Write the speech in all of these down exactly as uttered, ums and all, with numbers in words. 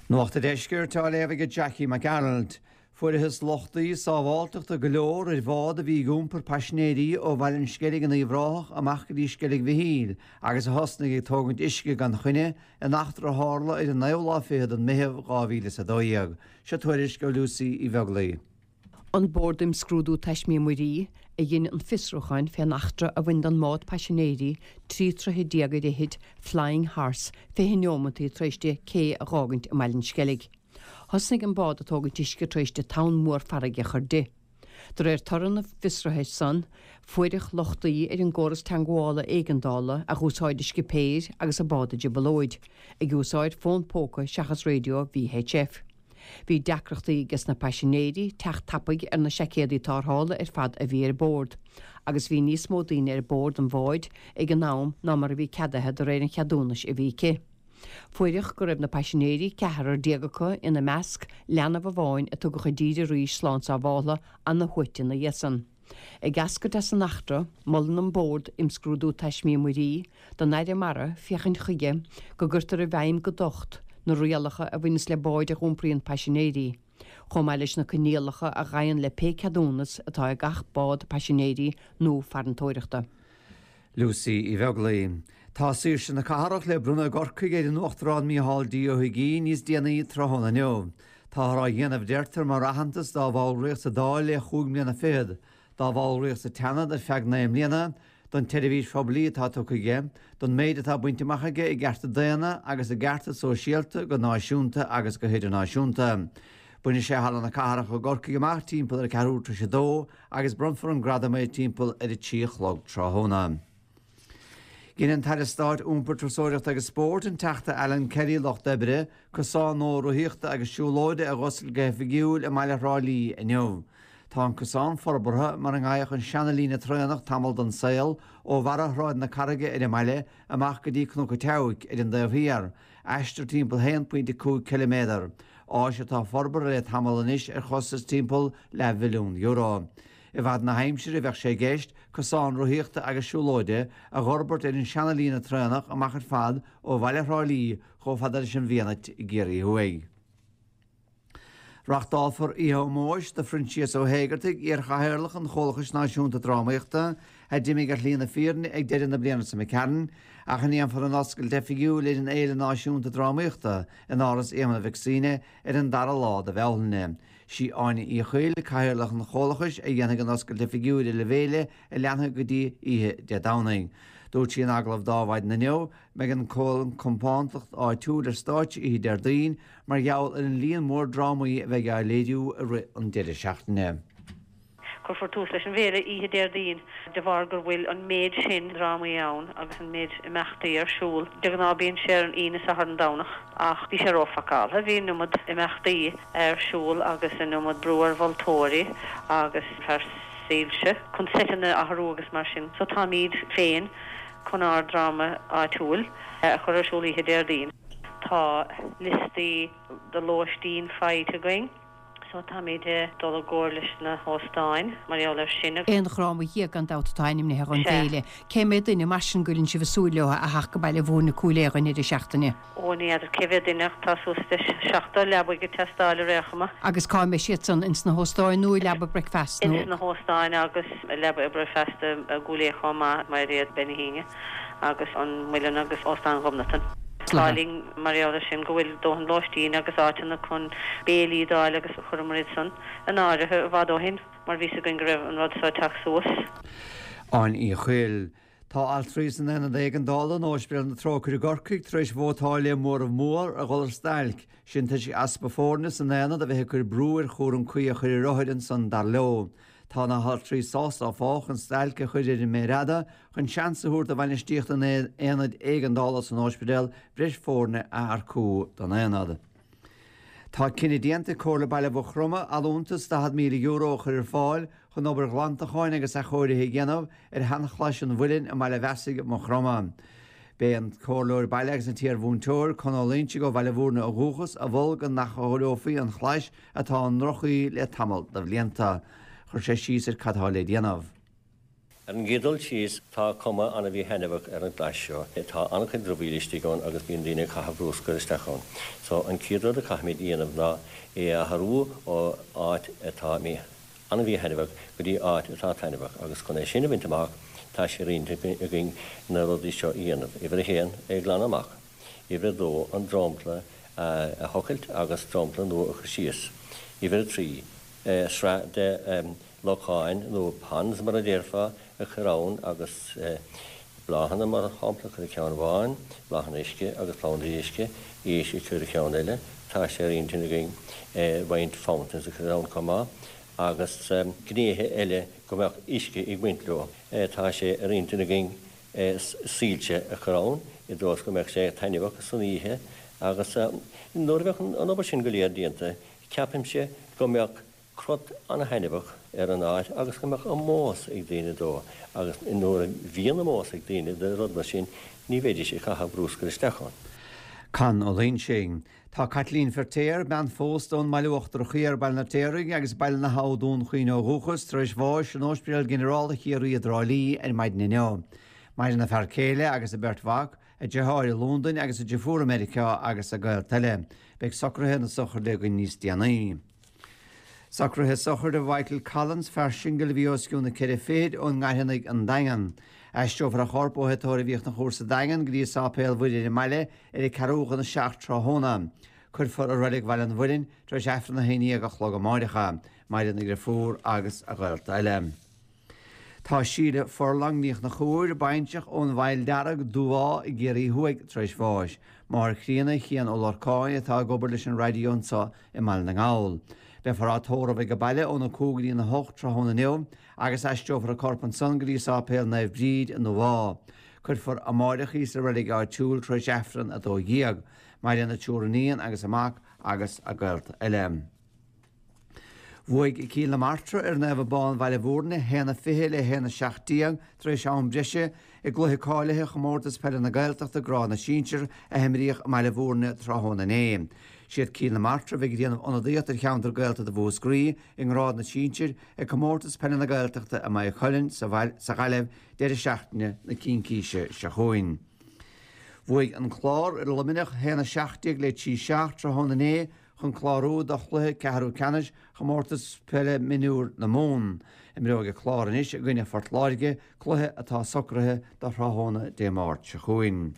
Nuacht an Deiscirt á léamh ag Jackie McArnold. Fuarthas lochtaí sábháilteachta go leor ar bhád a bhí ag iompar paisinéirí ó Bhaile an Sceilg in Uíbh Ráthach amach go dtí Sceilg Mhichíl agus a thosnaigh ag tógaint uisce gan choinne in eachtra a tharla ar an naoú lá fichead den Mheitheamh dhá mhíle is a dó dhéag. Seo tuairisc ó Lucy Uí Bheaglaoi. An Bord um Scrúdú Taismí Muirí a dhein an fiosrúchán fén eachtra a bhain don mbád paisinéirí trí troithe déag ar fhichid Flying Horse fiche neomantaí tar éis di cé a dh'fhágaint i mBaile an Sceilg. Thosnaigh an bád ag tógaint uisce tar éis di tonn mór farraige a chur di. De réir toradh na bhfiosruithe san, fuaireadh lochtaí ar an gcóras teangmhála éigeandála a dh'úsáid an scipéir agus an bád i dtrioblóid, ag úsáid fón póca seachas raidió V H F. Bhí deacrachtaí ages na paisinéirí teacht tapaidh ar na seaicéadaí tarrthála ar fad a bhí ar bord, agus bhí níos mó daoine ar bord an bháid ag an am ná mar a bhí ceadaithe de réir an cheadúnais a bhí aici. Fuaireadh go raibh na paisinéirí, ceathrar déag acu, ina measc leanbh amháin a tugadh i dtír arís slán sábháltha, ana-shuaite ina dhiaidh san. Ag eascairt as an eachtra, molann an Bord Imscrúdú Taismí Muirí don Aire Mara féachaint chuige go gcuirtear i bhfeidhm go docht na rialacha a bhaineas le báid a iompraíonn paisinéirí, chomh maith leis na coinníollacha a ghabhann le pé ceadúnas atá ag gach bád paisinéirí nó farantóireachta. Lucy Uí Bheaglaoi. Tá Saoirse na Cathrach le bronnadh i gCorcaigh ar an Uachtarán Micheál D. Ó hUigínn níos déanaí tráthnóna inniu. Táthar á dhéanamh, deirtear, mar aitheantas dá bhallraíocht sa Dáil le chúig mbliana fichead, dá bhallraíocht sa tSeanad ar feadh naoi mbliana, don tseirbhís phoiblí atá tugtha aige, don méid atá bainte amach aige i gcearta daonna agus i gcearta sóisialta go náisiúnta agus go hidirnáisiúnta. Bainfidh sé Halla na Cathrach i gCorcaigh amach timpeall ar ceathrú tar éis a dó agus bronnfar an gradam air timpeall ar a trí a chlog tráthnóna. Dhein an tAire Stáit Iompair, Turasóireachta agus Spóirt, an Teachta Alan Kelly, Lucht Oibre, cosán nua rothaíochta agus siúlóide a dh'oscailt go hoifigiúil i mbaile Thrá Lí inniu. Tá an cosán forbartha mar a ngeibheadh an seana-líne traenach tamall den saol ó bharra Shráid na Carraige ar an mbaile amach go dtí Cnoc an tSeabhaic ar an dtaobh thiar, aistear timpeall haon pointe cúig ciliméadar, áis atá forbartha le tamall anois ar chostas timpeall leathmhilliún euro. I bhfad na haimsire bheadh sé i gceist cosán rothaíochta agus siúlóide a dh'fhorbairt ar an seana-líne traenach amach ar fad ó bhaile Thrá Lí chomh fada leis an bhFianait i gCiarraí Thuaidh. Reáchtálfar oíche ómóis do Phroinsias Ó hÉigeartaigh, iarchathaoirleach an Chomhlachais Náisiúnta Drámaíochta, a d'imigh ar shlí na fírinne ag deireadh na bliana seo imigh tharainn, ach a ndéanfar an oscailt oifigiúil ar an Fhéile Náisiúnta Drámaíochta in Áras Éamonn Mhic Suibhne ar an dara lá de Bhealtaine. Sí Áine Uí Chuill, cathaoirleach an Chomhlachais, a dhéanfaidh an oscailt oifigiúil ar an bhféile a leanfaidh go dtí oíche Dé Domhnaigh. Dúirt sí in agallamh d'Adhmhaidin inniu, mbeidh an compántacht áitiúil ar stáitse oíche Déardaoin mar gheall ar an líon mór drámaí a bheidh á léiriú i rith an deireadh seachtaine. Cuirfear tús leis an bhféile oíche Déardaoin de bharr gur bhfuil an méid sin drámaí ann agus an méid imeachtaí ar siúl. De ghnáth bíonn sé ar an Aoine, Satharn, Domhnach ach bhí sé róphacáilte, bhí an iomad imeachtaí ar siúl agus an iomad brú ar mholtóirí agus fear soilse chun seiteanna a athrú agus mar sin. So táimid féin chun ár dráma áitiúil a chur ar siúl oíche Déardaoin. Tá liostaí de lóistín faighte againn so táimid ag dul i gcomhar leis na hóstáin mar gheall air sin. Aon dhráma dhéag gan dabht atá ainmnithe don Sea. bhféile. Cé mhéad duine mar sin go bhfuileann sibh ag súil leo a theacht go Baile Mhúirne Cúil Aodha an deireadh seachtaine? Ó ní fheadar cé mhéad duine ach tá suas le seachtó leabaidh ag teastáil ar aon chuma. Agus cá mbeidh siad san? Ins na hóstáin nó i leaba bricfeasta nó? Ins na hóstáin agus i leaba bricfeasta i gCúil Aodha chomh maith, Mairéad Bean Uí hAoine agus an Muileann agus Óstán Ghobnatan. Tá linn mar gheall air sin go bhfuil dóthain lóistín agus áiteanna chun béilí d'fháil agus chuireamar iad san in áirithe i bhfad ó shin mar bhí 's againn go raibh an rud seo ag teacht suas. Áine Uí Chuill. Tá altraí san Aonad Éigeandála in Ospidéal na Trócaire i gCorcaigh tar éis vótáil le móramh mór a dhul ar stailc, sin toisc easpa foirne san aonad a bheith ag cur brú ar chúram cuí a chur ar othair ansan dar leo. Tá na haltraí sásta áfach an stailc a chur ar an méar fhada chun seans a thabhairt do bhainistíocht an aonaid éigeandála san ospidéal breis foirne a earcú don aonad. Tá cinneadh déanta ag Comhairle Baile Mhaigh Chromtha allúntas daichead míle euro a chur ar fáil chun obair ghlantacháin agus athchóirithe a dhéanamh ar sheanchlais an Mhuilinn i mBaile Mheasaigh, Maigh Chromtha. B'é an Comhairleoir Baile agus an t-iar-mhúinteoir, Con Ó Loingsigh ó Bhaile Mhúirne ó dhúchas, a mhol go n-athchóireofaí an chlais atá i ndroch-chaoi le tamall de bhlianta. Chuir sé síos ar cad atá le déanamh. Ar an gcéad dul síos, tá cuma an-mhíthaitneamhach ar an gclais seo. Tá an-chuid dramhaíl istigh ann agus bíonn daoine ag caitheamh bruscar isteach ann. So an chéad rud a chaithfimid a dhéanamh ná é a athrú ó áit atá an-mhíthaitneamhach go dtí áit atá taitneamhach agus chun é sin a bhaint amach tá sé ar intinn againn na rudaí seo a dhéanamh. Uimhir a haon, é a ghlanadh amach. Uimhir a dó, an dromchla a thochailt agus dromchla nua a chur síos. Uimhir a trí, sraith de locháin nó ponds mar a déarfá a chur ann agus bláthanna mar shampla a chur i gceann amháin, bláthanna uisce agus plandaí uisce, éisc a chur i gceann eile. Tá sé ar intinn againn roinnt fountains a chur ann chomh maith agus gnéithe eile go mbeadh uisce ag baint leo. Tá sé ar intinn againn soilse a chur ann i dtreo is go mbeadh sé taitneamhach san oíche agus nuair a bheadh an obair sin go léir déanta, ceapaimse go mbeadh crot an-thaitneamhach ar an áit agus go mbeadh ómós ag daoine dó agus nuair a bhíonn ómós ag daoine do rud mar sin, ní bheidís ag caitheamh bruscair isteach ann. Con Ó Loingsigh. Tá Caitlín Feirtéar, bean phósta ón mBaile Uachtarach Thiar, Baile an Fheirtéaraigh agus Baile na hAbha, Dún Chaoin ó dhúchas, tar éis bháis in Ospidéal Ginearálta Chiarraí i dTrá Lí ar maidin inniu. Maireann a fear céile agus a beirt mhac, a deartháir i Londain agus a deirfiúr i Meiriceá agus a gaolta eile. Beidh socruithe na sochraide againn níos déanaí. Socruithe sochraide Mhichael Collins, fear singil a bhí os cionn na ceithre fichid ón nGairfeanaigh An Daingean. Aistreofar a chorp ó Thigh Tórraimh Fhiachna Chór sa Daingean go dtí Sáipéal Mhuire ar an mbaile ar a ceathrú chun a seacht tráthnóna. Cuirfear i Reilig Bhaile an Mhuilinn tar éis Aifreann a haon déag a chlog amáireach é. Maireann a dheirfiúr agus a ghaolta eile. Tá Síle Furlong Ní Chonchúir, baintreach ón bhFaill Dearg, Dúmhá i gCiarraí Thuaidh, tar éis bháis. Máthair chríonna Chian Ó Lorcáin atá ag obair leis an raidió anseo i mBaile na nGall. Beifear á tórramh ag an baile óna cúig go dtí a hocht tráthnóna inniu agus aistreofar a corp ansan go dtí Sáipéal Naomh Bríd i nDúmhá. Cuirfear amáireach í sa reilig áitiúil tar éis Aifreann a dó dhéag. Maireann a triúr iníon agus a mac agus a gaolta eile. Bhuaigh Cill na Martra ar Naomh Abán Bhaile Bhúirne a haon a fiche le haon a seacht déag tar éis am breise i gcluiche cáilithe Chomórtas Peile na Gaeltachta Grád na Sinsear a himríodh i mBaile Bhúirne tráthnóna inné. Siad Cill na Martra a bheidh ag déanamh ionadaíocht ar cheantar Gaeltachta Mhúscraí i ngrád na sinsear ag Comórtas Peile na Gaeltachta i Maigh Cuilinn sa Ghaillimh deireadh seachtaine na Cincíse seo chugainn. Bhuaigh an Clár ar Luimneach a haon a seacht déag le trí seacht tráthnóna inné chun clárú do chluiche ceathrú ceannais Chomórtas Peile Mionúir na Mumhan. Imreoidh an Clár anois i gcoinne Phort Láirge, cluiche atá socraithe do thráthnóna Dé Máirt seo chugainn.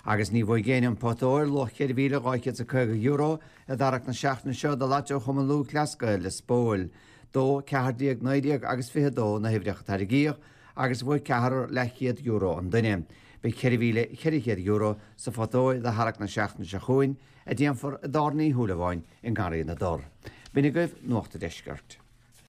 Agus ní bhuaigh éinne an pota óir, luach ceithre mhíle dhá chéad is caoga euro, i dtarrac na seachtaine seo do Lató Chumann Lúthchleas Gael Lios Póil. Dó, ceathair déag, naoi déag agus fiche dó na huimhreacha a tarraingíodh agus bhuaigh ceathrar leathchéad euro an duine. Beidh ceithre mhíle ceithre chéad euro sa phota óir do tharrac na seachtaine seo chugainn, a déanfar i dTábhairne Uí Shúilleabháin i nGarraí na dTor. B'in agaibh Nuacht an Deiscirt.